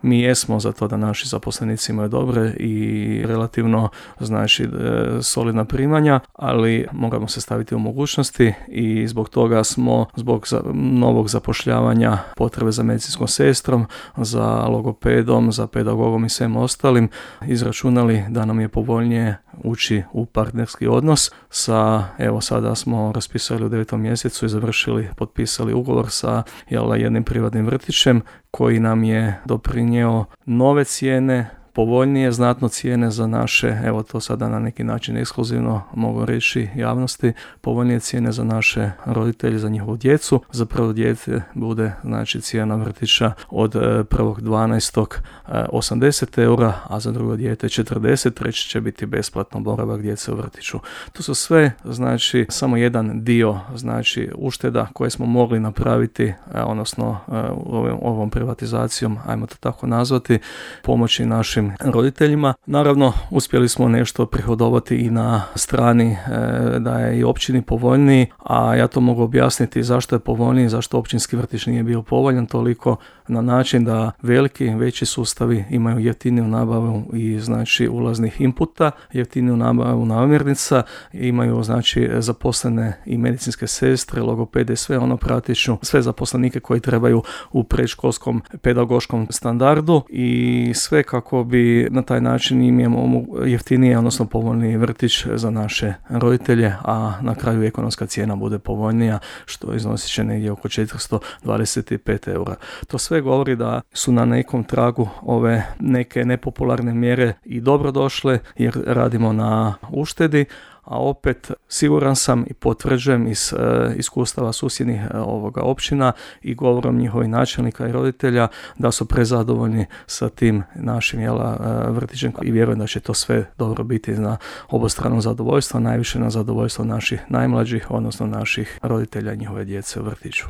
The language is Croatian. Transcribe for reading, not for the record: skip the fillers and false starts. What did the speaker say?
mi jesmo za to da naši zaposlenici imaju dobre i relativno znači solidna primanja, ali moramo se staviti u mogućnosti i zbog toga smo zbog novog zapošljavanja, potrebe za medicinskom sestrom, za logopedom, za pedagogom i svem ostalim izračunali da nam je povoljnije ući u partnerski odnos sa, evo sada smo raspisali u 9. mjesecu i završili, potpisali ugovor sa jednim privatnim vrtićem koji nam je doprinio nove cijene, povoljnije znatno cijene za naše, evo to sada na neki način ekskluzivno mogu reći javnosti, povoljnije cijene za naše roditelje, za njihovu djecu. Za prvo dijete bude znači cijena vrtića od 1.12. 80 eura, a za drugo dijete 40, treći će biti besplatno boravak djece u vrtiću. To su sve znači samo jedan dio znači ušteda koje smo mogli napraviti, odnosno ovom privatizacijom, ajmo to tako nazvati, pomoći našim roditeljima. Naravno, uspjeli smo nešto prihodovati i na strani da je i općini povoljniji, a ja to mogu objasniti zašto je povoljniji, zašto općinski vrtić nije bio povoljan toliko na način da veći sustavi imaju jeftiniju nabavu i znači ulaznih inputa, jeftiniju nabavu namirnica, imaju znači zaposlene i medicinske sestre, logopede, sve ono praktično, sve zaposlenike koji trebaju u predškolskom pedagoškom standardu i sve kako bi na taj način imamo jeftinije, odnosno povoljniji vrtić za naše roditelje, a na kraju ekonomska cijena bude povoljnija, što iznosit će negdje oko 425 eura. To sve govori da su na nekom tragu ove neke nepopularne mjere i dobro došle, jer radimo na uštedi, a opet siguran sam i potvrđujem iz iskustava susjednih općina i govorom njihovih načelnika i roditelja da su prezadovoljni sa tim našim vrtićem i vjerujem da će to sve dobro biti na obostrano zadovoljstvo, najviše na zadovoljstvo naših najmlađih, odnosno naših roditelja i njihove djece u vrtiću.